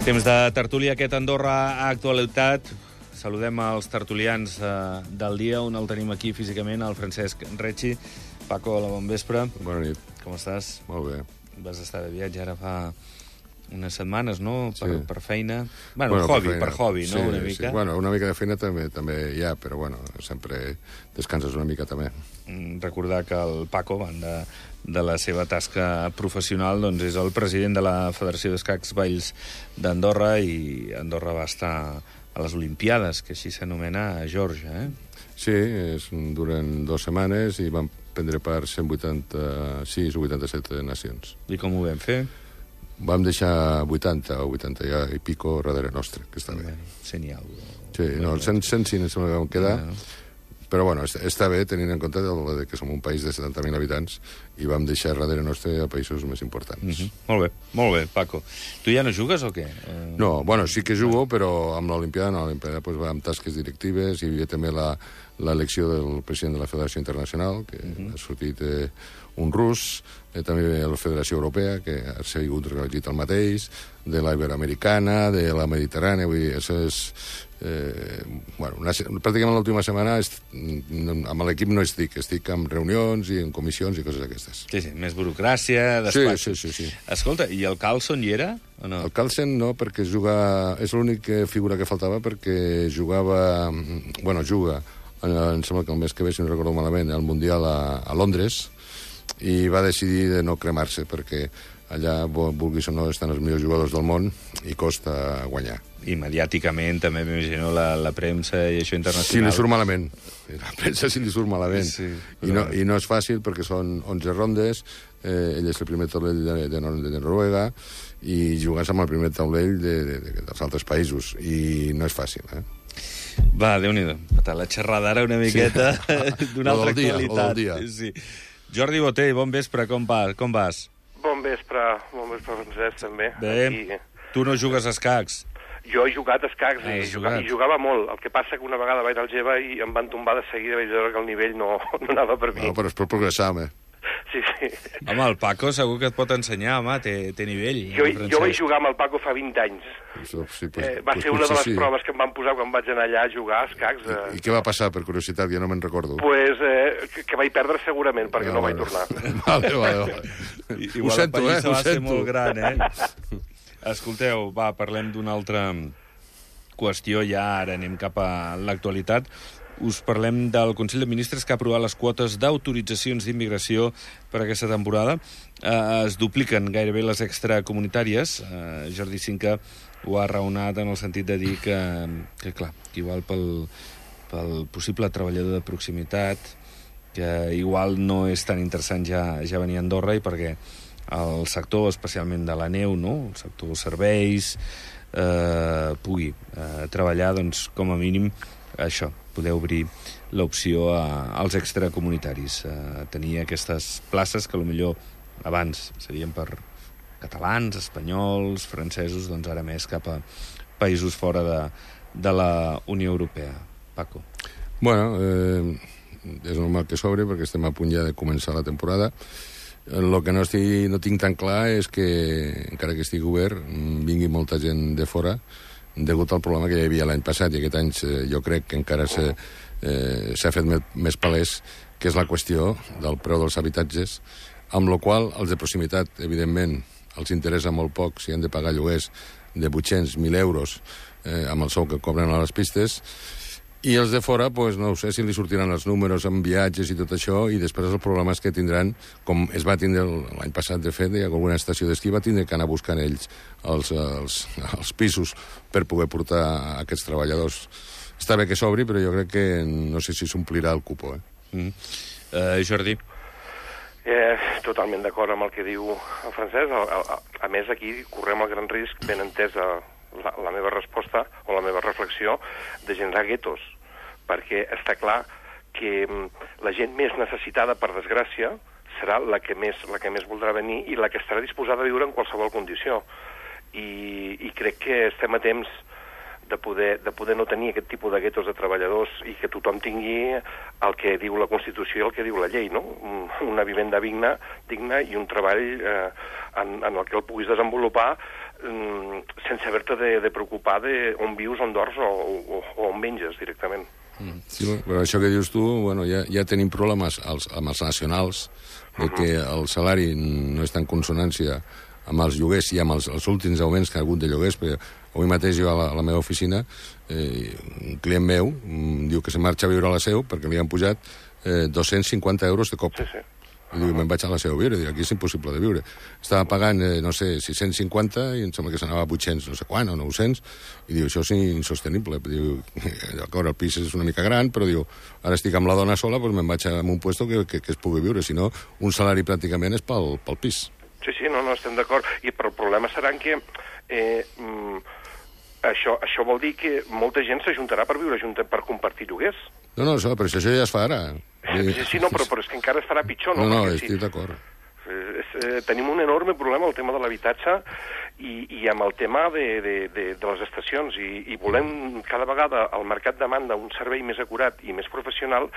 Temps de tertúlia, aquest Andorra Actualitat. Saludem els tertulians del dia, on el tenim aquí físicament, el Francesc Recci. Paco, hola, bon vespre. Bona nit. Com estàs? Molt bé. Vas estar de viatge ara fa unes setmanes, no? Per feina. Bueno, per hobby, no? Sí, Una mica. Sí. Bueno, una mica de feina també hi ha, però bueno, sempre descanses una mica també. Recordar que el Paco, a banda de la seva tasca professional, doncs és el president de la Federació d'Escacs Valls d'Andorra, i Andorra va estar a les Olimpiades, que així s'anomena, a Geòrgia, Sí, duren 2 setmanes i van prendre part 186 o 87 nacions. I com ho vam fer? Vam deixar 80 o 80 i pico darrere nostre, que està bé. 100 i alguna cosa. Sí, no, 105 em sembla que vam quedar. Però bueno, està bé tenint en compte que som un país de 70.000 habitants i vam deixar darrere nostre a països més importants. Molt bé, Paco. Tu ja no jugues o què? No, bueno, sí que jugo, però amb l'Olimpiada no. L'Olimpiada pues, va amb tasques directives, hi havia també l'elecció del president de la Federació Internacional, que ha sortit un rus, també la Federació Europea, que ha sigut reelegit el mateix, de la Iberoamericana, de la Mediterrània, vull dir, això és... bueno, pràcticament l'última setmana amb l'equip no estic en reunions i en comissions i coses d'aquestes. Sí, més burocràcia, despatx. Sí. Escolta, i el Carlson hi era o no? El Carlsen no, perquè és l'única figura que faltava, perquè juga, em sembla que el mes que ve, si no recordo malament, al Mundial a Londres, i va decidir de no cremar-se, perquè allà, vulguis o no, estan els millors jugadors del món i costa guanyar. I mediàticament també m'imagino la premsa i això internacional. Si li surt malament. La premsa si li surt malament. Sí, I no és fàcil perquè són 11 rondes, ell és el primer taulell de Noruega, i jugues amb el primer taulell dels altres països, i no és fàcil, Va, Déu-n'hi-do. La xerrada ara una miqueta d'una altra qualitat. Sí. Jordi Botell, bon vespre, com vas? Bon vespre, Francesc, també. Bé, aquí. Tu no jugues a escacs? Jo he jugat a escacs i jugava molt. El que passa que una vegada vaig al Geva i em van tombar de seguida, vaig veure que el nivell no anava per mi. No, però es pot progressar, home. Sí. Home, el Paco segur que et pot ensenyar, home, té nivell. Jo vaig jugar amb el Paco fa 20 anys. Va ser una de les proves que em van posar quan vaig anar allà a jugar a escacs. I què va passar, per curiositat? Ja no me'n recordo. Que vaig perdre segurament, perquè no vaig tornar. Vale. Igual ho sento, la pallissa va ser molt gran, Escolteu, va, parlem d'una altra qüestió, ja ara anem cap a l'actualitat. Us parlem del Consell de Ministres, que ha aprovat les quotes d'autoritzacions d'immigració per aquesta temporada. Es dupliquen gairebé les extracomunitàries. Jordi Cinca ho ha raonat en el sentit de dir que clar, que igual pel possible treballador de proximitat, que igual no és tan interessant ja venir a Andorra, i perquè el sector, especialment de la neu, no? El sector serveis, pugui treballar, doncs, com a mínim, això, poder obrir l'opció als extracomunitaris. Tenir aquestes places que potser abans serien per catalans, espanyols, francesos, doncs ara més cap a països fora de la Unió Europea. Paco. Bueno, és normal que s'obri perquè estem a punt ja de començar la temporada. El que no tinc tan clar és que, encara que estigui obert, vingui molta gent de fora, degut al problema que hi havia l'any passat, i aquest any jo crec que encara s'ha fet més palès, que és la qüestió del preu dels habitatges, amb la qual els de proximitat, evidentment, els interessa molt poc si han de pagar lloguers de 800.000 euros amb el sou que cobren a les pistes, i els de fora, no ho sé si li sortiran els números amb viatges i tot això, i després els problemes que tindran, com es va tindre l'any passat, de fet, alguna estació d'esquí va tindre que anar buscant ells els pisos per poder portar aquests treballadors. Està bé que s'obri, però jo crec que no sé si s'omplirà el cupo. Jordi? Totalment d'acord amb el que diu el Francesc. A més, aquí correm el gran risc, ben entès la meva resposta o la meva reflexió, de generar guetos, perquè està clar que la gent més necessitada, per desgràcia, serà la que més voldrà venir i la que estarà disposada a viure en qualsevol condició. I crec que estem a temps de poder no tenir aquest tipus de guetos de treballadors i que tothom tingui el que diu la Constitució i el que diu la llei, no? Una vivenda digna i un treball en el que el puguis desenvolupar sense haver-te de preocupar on vius, on dors o on menges directament. Sí, però això que dius tu, bueno, ja tenim problemes amb els nacionals, de que el salari no està en consonància amb els lloguers i amb els últims augments que ha hagut de lloguers, perquè avui mateix jo a la meva oficina, un client meu diu que se marxa a viure a la Seu perquè li han pujat 250 euros de cop. Sí. I diu, me'n vaig a la Seu a viure. Diu, aquí és impossible de viure. Estava pagant, no sé, 650 i em sembla que s'anava a 800, no sé quan, o 900, i diu, això és insostenible. Diu, d'acord, el pis és una mica gran, però diu, ara estic amb la dona sola, doncs me'n vaig a un puesto que es pugui viure. Si no, un salari pràcticament és pel pis. Sí, no, estem d'acord. Però el problema serà que això vol dir que molta gent s'ajuntarà per viure junta, per compartir lloguers. No, però això ja es fa ara. Sí, no, però és que encara es farà pitjor, no? No, estic d'acord. Tenim un enorme problema, el tema de l'habitatge, i amb el tema de les estacions, i volem cada vegada el mercat demanda un servei més acurat i més professional,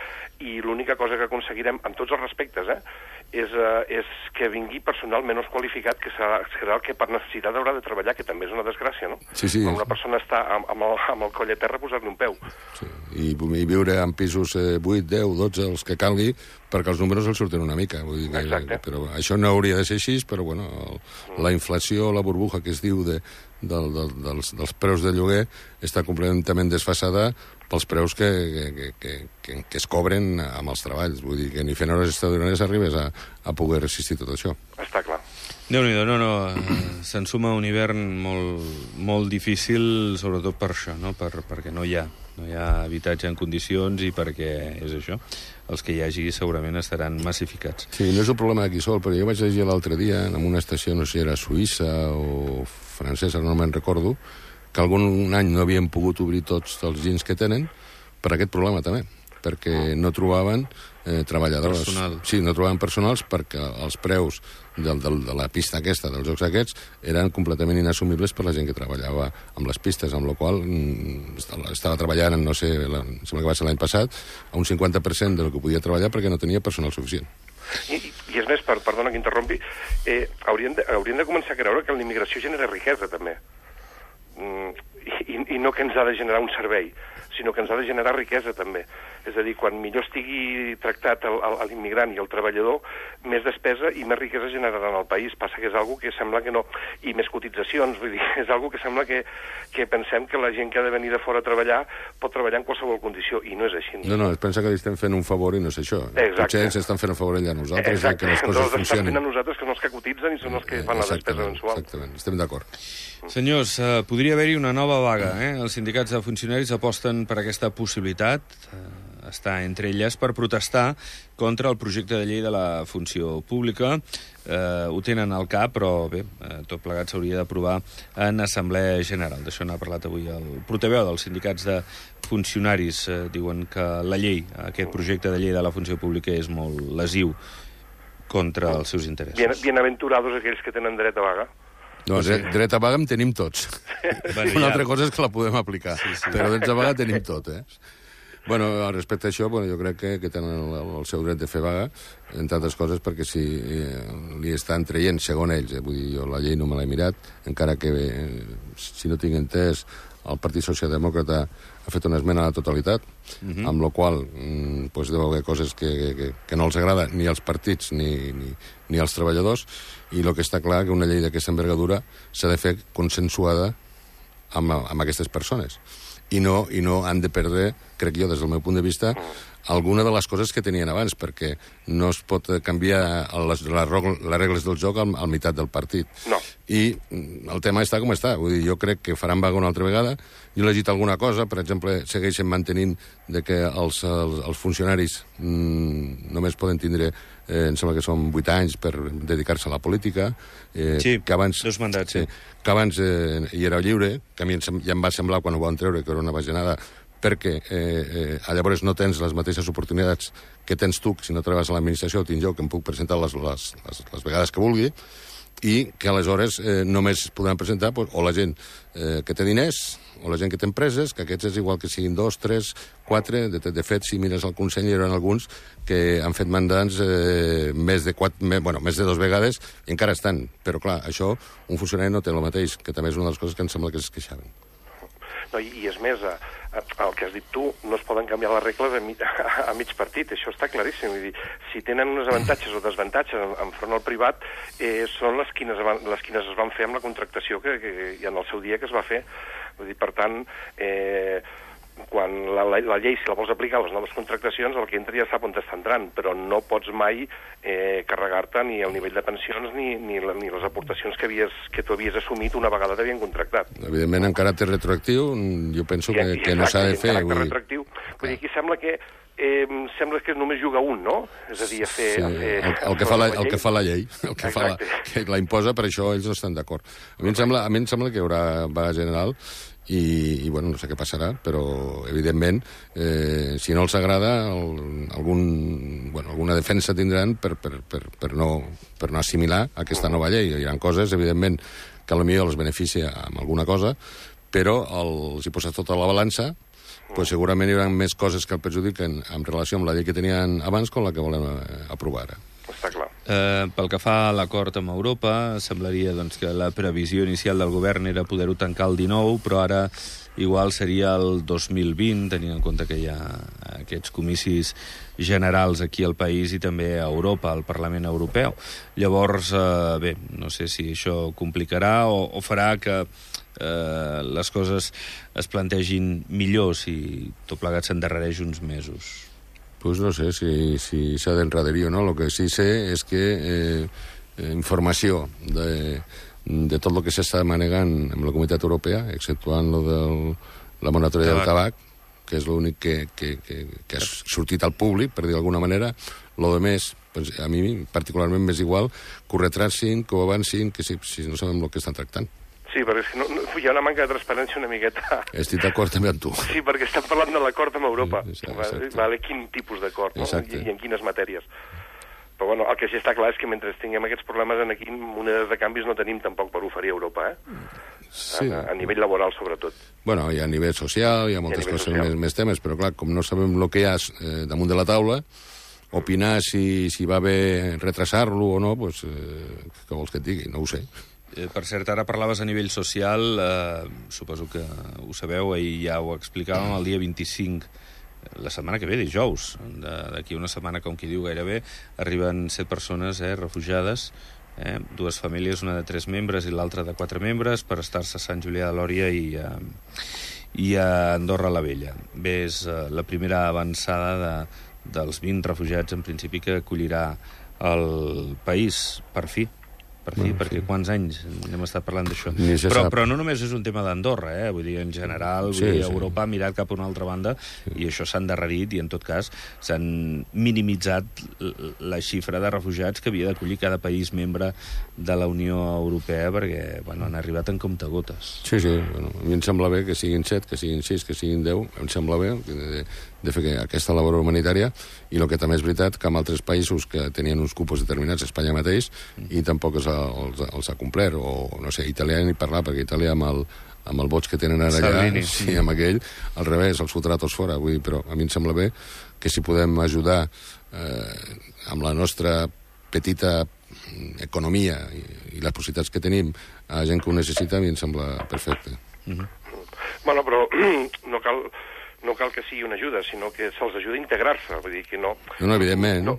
i l'única cosa que aconseguirem, amb tots els respectes, és que vingui personal menys qualificat, que serà el que per necessitat haurà de treballar, que també és una desgràcia, no? Sí. Quan una persona està amb el coll a terra, posar-li un peu. Sí. I viure en pisos 8, 10, 12, els que calgui, perquè els números els surten una mica. Vull dir que, però això no hauria de ser així, però bueno, la inflació, la burbuja que es diu dels preus de lloguer està completament desfasada pels preus que es cobren amb els treballs. Vull dir que ni fent hores extraordinàries arribes a poder resistir tot això. Està clar. Déu-n'hi-do, no. Se'n suma un hivern molt difícil, sobretot per això, no? Perquè no hi ha habitatge en condicions i perquè és això. Els que hi hagi segurament estaran massificats. Sí, no és un problema d'aquí sol, però jo vaig llegir l'altre dia en una estació, no sé si era suïssa o francesa, no me'n recordo, que algun any no havien pogut obrir tots els ginys que tenen per aquest problema també, perquè no trobaven treballadors. Personal. Sí, no trobaven personals perquè els preus de la pista aquesta, dels jocs aquests, eren completament inassumibles per la gent que treballava amb les pistes, amb la qual estava treballant, no sé, sembla que va ser l'any passat, a un 50% del que podia treballar perquè no tenia personal suficient. I és més, perdona que interrompi, hauríem de començar a creure que la immigració genera riquesa, també. I no que ens ha de generar un servei, sinó que ens ha de generar riquesa, també. És a dir, quan millor estigui tractat l'immigrant i el treballador, més despesa i més riquesa generaran al país. Passa que és algo que sembla que no... I més cotitzacions, vull dir, és algo que sembla que pensem que la gent que ha de venir de fora a treballar pot treballar en qualsevol condició, i no és així. No, es pensa que li estem fent un favor i no és això. Exacte. Potser ens estan fent un favor ella a nosaltres, que les coses funcionin. Estan fent a nosaltres, que són els que cotitzen i són els que fan la despesa mensual. Exactament, estem d'acord. Senyors, podria haver-hi una nova vaga, Els sindicats de funcionaris aposten per aquesta possibilitat, està entre elles, per protestar contra el projecte de llei de la funció pública. Ho tenen al cap, però bé, tot plegat s'hauria d'aprovar en Assemblea General. D'això n'ha parlat avui el portaveu dels sindicats de funcionaris. Diuen que la llei, aquest projecte de llei de la funció pública és molt lesiu contra els seus interessos. Bienaventurados aquells que tenen dret a vaga. No, dret a vaga en tenim tots. Una altra cosa és que la podem aplicar, però dret a vaga tenim tot, Bueno, respecte a això, jo crec que tenen el seu dret de fer vaga, entre altres coses, perquè si li estan traient, segons ells, vull dir, jo la llei no me l'he mirat, encara que, si no tinc entès, el Partit Socialdemòcrata ha fet una esmena a la totalitat, amb la qual deu haver coses que no els agrada ni als partits ni als treballadors, i el que està clar que una llei d'aquesta envergadura s'ha de fer consensuada amb aquestes persones. I no han de perdre, crec jo, des del meu punt de vista, alguna de les coses que tenien abans, perquè no es pot canviar les regles del joc al meitat del partit. No. I el tema està com està. Vull dir, jo crec que faran vaga una altra vegada. Jo he llegit alguna cosa, per exemple, segueixen mantenint que els funcionaris només poden tindre, em sembla que són 8 anys per dedicar-se a la política. Sí, que abans, 2 mandats, sí. Que abans hi era lliure, que a mi ja em va semblar quan ho van treure que era una bajanada, perquè llavors no tens les mateixes oportunitats que tens tu, si no treballes a l'administració, tinc jo, que em puc presentar les vegades que vulgui, i que aleshores només podran presentar o la gent que té diners o la gent que té empreses, que aquests és igual que siguin 2, 3, 4... De fet, si mires el Consell, hi haurà alguns que han fet mandants més de 2 vegades i encara estan. Però, clar, això un funcionari no té el mateix, que també és una de les coses que em sembla que es queixaven. No, i és més, el que has dit tu, no es poden canviar les regles a mig partit, això està claríssim. Vull dir, si tenen uns avantatges o desavantatges enfront al privat, són les quines es van fer amb la contractació que en el seu dia que es va fer. Vull dir, per tant, quan la llei, si la vols aplicar a les noves contractacions, el que entra ja sap on està entrant, però no pots mai carregar-te ni el nivell de pensions ni les aportacions que tu havies assumit una vegada t'havien contractat. Evidentment, en caràcter retroactiu, jo penso que no s'ha de fer. En caràcter retroactiu. Vull dir, aquí sembla que només juga un, no? És a dir, a fer el que fa la llei, que la imposa, per això ells no estan d'acord. A mi em sembla que hi haurà vaga general i bueno, no sé què passarà, però evidentment si no els agrada alguna defensa tindran per no assimilar aquesta nova llei. Hi ha coses, evidentment, que potser els beneficia amb alguna cosa, però els hi posa tota la balança, pues segurament hi haurà més coses que el perjudiquen en relació amb la llei que tenien abans com la que volem aprovar ara. Està clar. Pel que fa a l'acord amb Europa, semblaria doncs, que la previsió inicial del govern era poder-ho tancar el 19, però ara igual seria el 2020, tenint en compte que hi ha aquests comicis generals aquí al país i també a Europa, al Parlament Europeu. Llavors, bé, no sé si això complicarà o farà que les coses es plantegin millor si tot plegat s'endarrereix uns mesos. Pues no sé si s'ha d'enraderir o no. El que sí sé és que informació de tot el que s'està manegant amb la Comunitat Europea, exceptuant lo de la moratòria del tabac, que és l'únic que ha sortit al públic, per dir d'alguna manera, lo de més, pues, a mi particularment m'és igual que ho retracin, que ho avancin, que si no sabem el que estan tractant. Sí, perquè és que hi ha una manca de transparència una miqueta. Estic d'acord també amb tu. Sí, perquè estem parlant de l'acord amb Europa. Exacte. Vale, quin tipus d'acord, no? I en quines matèries. Però bueno, el que sí està clar és que mentre tinguem aquests problemes aquí, monedes de canvis no tenim tampoc per oferir a Europa, Sí. A nivell laboral, sobretot. Bueno, hi ha a nivell social, hi ha moltes coses, més temes, però clar, com no sabem el que hi ha damunt de la taula, opinar si va bé retrasar-lo o no, pues, què vols que et digui? No ho sé. Per cert, ara parlaves a nivell social, suposo que ho sabeu, ahir ja ho explicàvem, el dia 25, la setmana que ve, dijous, d'aquí una setmana, com qui diu gairebé, arriben 7 persones refugiades, 2 famílies, una de 3 membres i l'altra de 4 membres, per estar-se a Sant Julià de Lòria i a Andorra la Vella. Bé, és la primera avançada dels 20 refugiats, en principi, que acollirà el país, per fi, perquè quants anys hem estat parlant d'això. Però no només és un tema d'Andorra, vull dir, en general, Europa ha mirat cap a una altra banda i això s'ha endarrerit i, en tot cas, s'han minimitzat la xifra de refugiats que havia d'acollir cada país membre de la Unió Europea perquè, bueno, han arribat en comptagotes. Sí, bueno, a mi em sembla bé que siguin 7, que siguin 6, que siguin 10, em sembla bé de fer aquesta labor humanitària, i el que també és veritat que en altres països que tenien uns cupos determinats, Espanya mateix, i tampoc els ha complert, o no sé, Itàlia ni parlar, perquè Itàlia amb el vots que tenen ara allà, sí, amb aquell, al revés, els fotrà tots fora, vull dir, però a mi em sembla bé que si podem ajudar amb la nostra petita economia i les possibilitats que tenim a gent que ho necessita, a mi em sembla perfecte. Bueno, però no cal que sigui una ajuda, sinó que se'ls ajuda a integrar-se, vull dir que no... No, evidentment.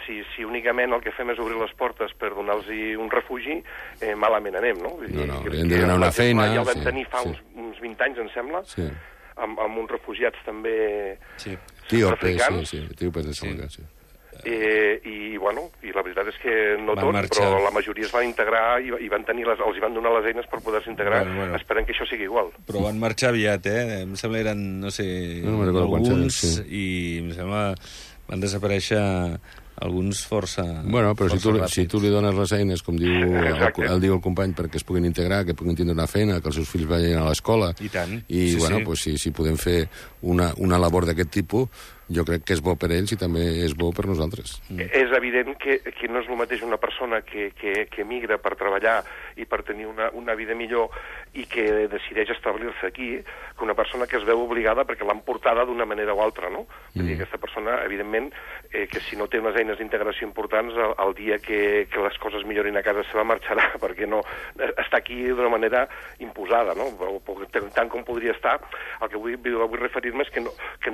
Si únicament el que fem és obrir les portes per donar-los un refugi, malament anem, no? No, hem de donar una feina... Ja el vam tenir fa uns 20 anys, em sembla, amb uns refugiats també africans. Sí, etíopes de Senegal, sí. I la veritat és que no tots, però la majoria es van integrar i els hi van donar les eines per poder-se integrar. Esperem que això sigui igual. Però van marxar aviat, em sembla eren, no sé, alguns, i em sembla van desaparèixer alguns força... Bueno, però si tu li dones les eines, com diu el company, perquè es puguin integrar, que puguin tindre una feina, que els seus fills vagin a l'escola... I tant. I, si podem fer una labor d'aquest tipus, jo crec que és bo per ells i també és bo per nosaltres. És evident que no és el mateix una persona que emigra per treballar i per tenir una vida millor i que decideix establir-se aquí, que una persona que es veu obligada perquè l'han portada d'una manera o altra, no? Vull dir, aquesta persona, evidentment, que si no té unes eines d'integració importants, el dia que les coses millorin a casa seva marxarà, perquè no està aquí d'una manera imposada, no? Tant com podria estar. El que vull referir-me és que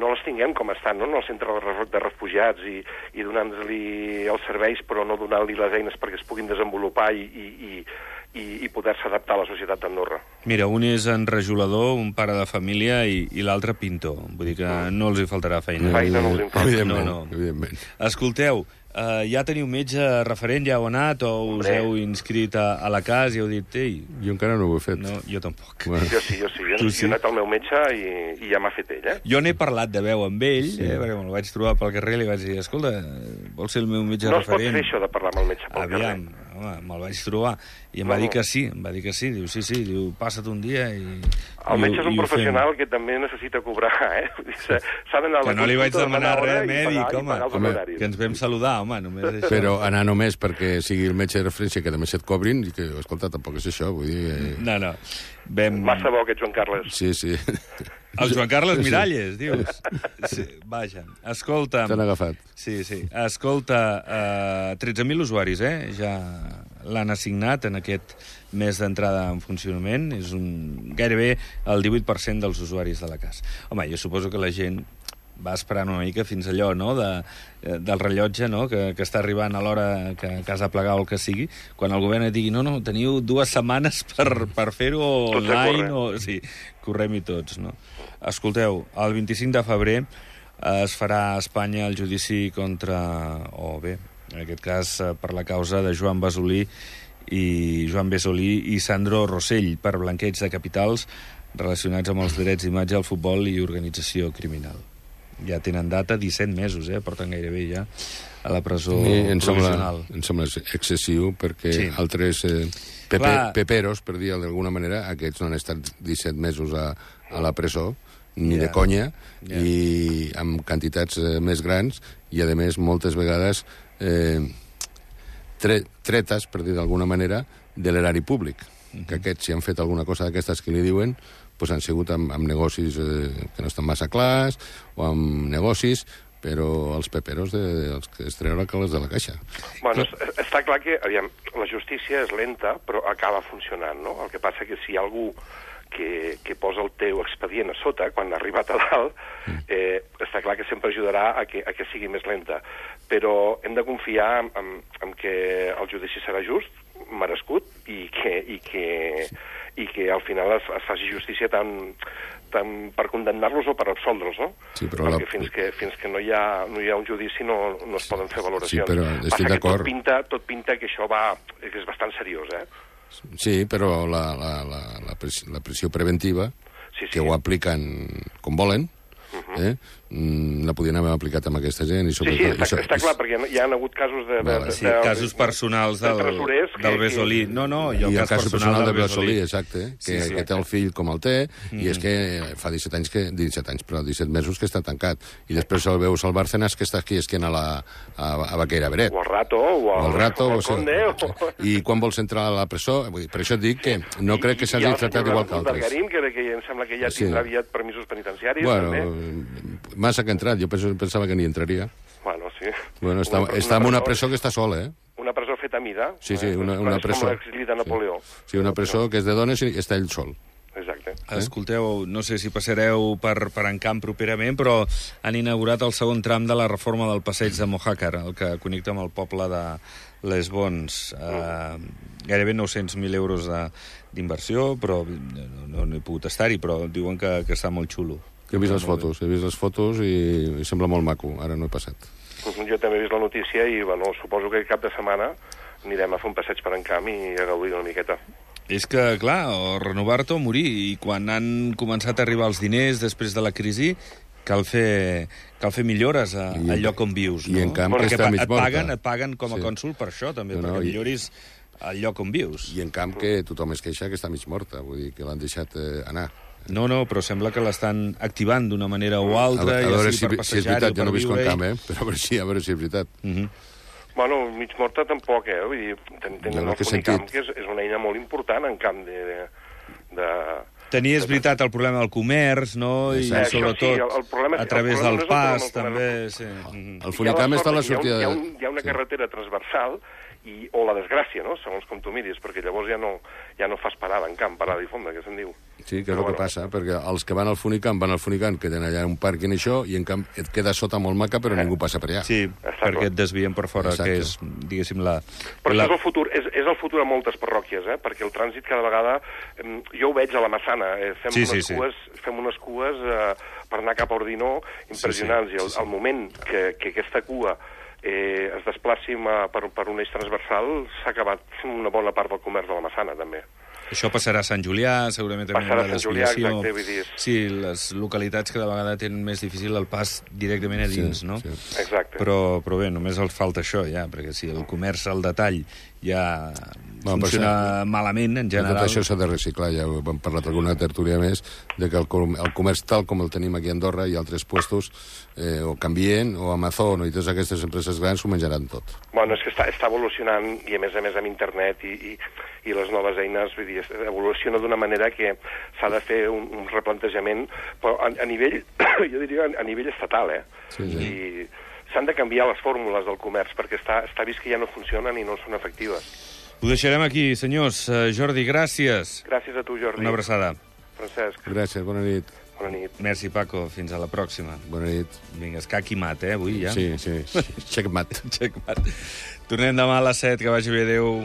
no les tinguem com estan, no? En el centre de refugiats i donant-li els serveis però no donant-li les eines perquè es puguin desenvolupar i poder-se adaptar a la societat d'Andorra. Mira, un és enrajolador, un pare de família i l'altre pintor. Vull dir que no els hi faltarà feina. Feina no els hi falta. Evidentment. Escolteu, ja teniu metge referent, ja heu anat, o us heu inscrit a la CAS i heu dit, ei... Jo encara no ho he fet. No, jo tampoc. Bueno. Jo sí. Jo he anat al meu metge i ja m'ha fet ell, Jo n'he parlat de veu amb ell, perquè me'l vaig trobar pel carrer i li vaig dir, escolta, vols ser el meu metge referent? No es pot fer això de parlar amb el metge pel carrer. Home, me'l vaig trobar. I em va dir que sí, Diu, sí, diu, passa't un dia i... El metge és un professional que també necessita cobrar, S'ha d'anar a la que no li vaig demanar res, mèdic, home, que ens vam saludar, home, només això. Però anar només perquè sigui el metge de referència que només et cobrin, i que, escolta, tampoc és això, vull dir... No. Massa bo aquest Joan Carles. Sí. El Joan Carles Miralles, dius? Sí, vaja, escolta... T'han agafat. Sí. Escolta, 13.000 usuaris, ja l'han assignat en aquest mes d'entrada en funcionament. És gairebé el 18% dels usuaris de la CAS. Home, jo suposo que la gent va esperant una mica fins allò, no?, del rellotge, no?, que està arribant a l'hora que has de plegar o el que sigui, quan el govern et digui, no, teniu 2 setmanes per fer-ho online, sí, correm-hi tots, no? Escolteu, el 25 de febrer es farà a Espanya el judici contra, en aquest cas per la causa de Joan Besolí i Sandro Rossell per blanqueig de capitals relacionats amb els drets d'imatge al futbol i organització criminal. Ja tenen data, 17 mesos, porten gairebé ja a la presó provisional. Em sembla excessiu, perquè altres peperos, per dir-ho d'alguna manera, aquests no han estat 17 mesos a la presó, ni de conya, i amb quantitats més grans, i a més moltes vegades tretes, per dir d'alguna manera, de l'erari públic. Que aquests, si han fet alguna cosa d'aquestes que li diuen, doncs han sigut amb negocis que no estan massa clars, o amb negocis, però els peperos els que es treuen calés de la caixa. Bueno, està clar que, aviam, la justícia és lenta, però acaba funcionant, no? El que passa que si hi ha algú que posa el teu expedient a sota, quan ha arribat a dalt, està clar que sempre ajudarà a que sigui més lenta. Però hem de confiar en que el judici serà just, merescut, i que al final es faci justícia tant per condemnar-los o per absoldre'ls, no? Sí, però perquè fins que no hi ha un judici no es poden fer valoracions. Sí, però estic d'acord. Tot pinta que això que és bastant seriós, Sí, però la pressió preventiva, que ho apliquen com volen, la podien haver aplicat amb aquesta gent. Està clar, perquè hi ha hagut casos casos personals del Besolí. No, i el cas personal del Besolí, exacte, que té el fill com el té, i és que fa 17 mesos que està tancat, i després el veus al Bárcenas, que està aquí esquent a Baqueira Beret. O al Rato, i quan vols entrar a la presó, per això et dic que no crec que s'hagi tractat igual que altres. I el Bergarín, que em sembla que ja tindrà aviat permisos penitenciaris, també. Massa que ha entrat, jo pensava que ni entraria. Bueno, sí. Bueno, està en una presó que està sola, Una presó feta a mida. Sí, una presó. Com l'exili de Napoleó. Sí, una presó que és de dones i està ell sol. Exacte. Escolteu, no sé si passareu per Encamp properament, però han inaugurat el segon tram de la reforma del passeig de Mojácar, el que connecta amb el poble de Les Bons. Gairebé 900.000 euros d'inversió, però no he pogut estar-hi, però diuen que està molt xulo. He vist les fotos i sembla molt maco, ara no he passat. Jo també he vist la notícia i, suposo que cap de setmana anirem a fer un passeig per Encamp i a gaudir una miqueta. És que, clar, o renovar-te o morir, i quan han començat a arribar els diners després de la crisi, cal fer millores al lloc on vius, no? I en Camp, que està mig morta. Et paguen com a cònsol per això, també, perquè milloris el lloc on vius. I en Camp, que tothom es queixa que està mig morta, vull dir que l'han deixat anar. No, però sembla que l'estan activant d'una manera o altra, A veure ja sigui per si és passejar-hi veritat, o jo per no visc en viure-hi. camp, però a veure si és veritat. Bueno, mig morta tampoc, Vull dir, tenen el Funicamp, que és una eina molt important en camp de... Tenies, veritat, el problema del comerç, no? I sobretot a través del pas, també. El Funicamp està a la sortida... Hi ha una carretera transversal o la desgràcia, no?, segons com tu miris, perquè llavors ja no fas parada en camp, parada i fonda, que se'n diu. Sí, que és el que passa, perquè els que van al Funicamp, que tenen allà un pàrquing i això, i en camp et queda sota molt maca, però ningú passa per allà. Sí, perquè et desvien per fora, que és, diguéssim, la... Però això és el futur, és el futur a moltes parròquies, perquè el trànsit cada vegada... Jo ho veig a la Massana, fem unes cues per anar cap a Ordinó impressionants, i al moment que aquesta cua es desplaci per un eix transversal, s'ha acabat una bona part del comerç de la Massana, també. Això passarà a Sant Julià, segurament també passarà a Sant Julià, exacte, vull dir... Sí, les localitats cada vegada tenen més difícil el pas directament a dins, no? Sí. Exacte. Però bé, només els falta això, ja, perquè si el comerç al detall ja funciona malament, en general... Tot això s'ha de reciclar, ja ho hem parlat alguna tertúlia més, de que el comerç tal com el tenim aquí a Andorra i altres puestos, o Canvien, o Amazon, i totes aquestes empreses grans s'ho menjaran tot. Bueno, és que està evolucionant, i a més amb internet i les noves eines, vull dir, evoluciona d'una manera que s'ha de fer un replantejament, però a nivell, jo diria, a nivell estatal, Sí. I s'han de canviar les fórmules del comerç, perquè està vist que ja no funcionen i no són efectives. Ho deixarem aquí, senyors. Jordi, gràcies. Gràcies a tu, Jordi. Una abraçada. Francesc. Gràcies, bona nit. Bona nit. Merci, Paco. Fins a la pròxima. Bona nit. Vinga, escac i mat, avui ja? Sí. Checkmat. Checkmat. Tornem demà a les 7, que vagi bé, adéu.